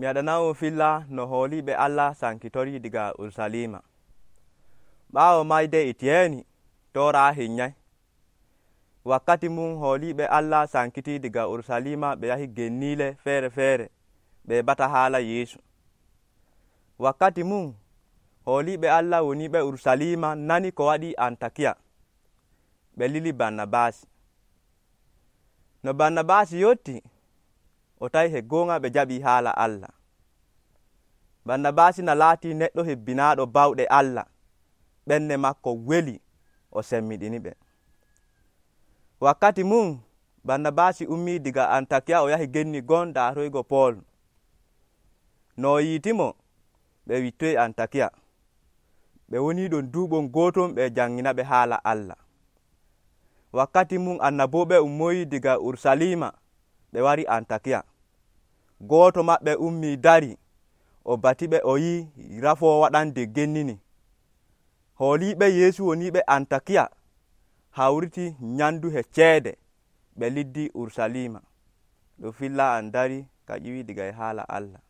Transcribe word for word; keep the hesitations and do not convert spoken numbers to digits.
mi waɗana'on filla no hooliɓe Allah sankitori diga Urusalima. ɓaawo mayde Itiyeeni toora hinyay. Wakkati mum hooliɓe Allah sankiti diga Urusalima ɓe yahi genniile feere feere ɓe heɓata haala Yeesu. Wakkati mum hooliɓe Allah woniɓe Urusalima nani ko waɗi Antakiya, ɓe lili Barnabaasi. No Barnabaasi yotti o tawi he goonga ɓe jaɓi haala Allah. Barnabaasi na laati neɗɗo hebbinaaɗo bawɗe Allah, ɓernde makko weli o semmiɗini ɓe. Wakkati mum Barnabaasi ummii diga Antakiya o yahi genni gon daaroygo Pool. No o yiitimo ɓe wittoyi Antakiya. Ɓe woni ɗon duuɓol gooton ɓe janngina ɓe haala Allah. Wakkati mum annaboɓe ummoyi diga Urusalima ɓe wari Antakiya. Gooto maɓɓe ummii dari o batiɓe o yi rafoo waɗande gennini. Hooliɓe Yeesu woniɓe Antakiya hawriti nyandu he ceede ɓe liddi Urusalima. Ɗo filla an dari ka ƴiwi diga e haala Allah.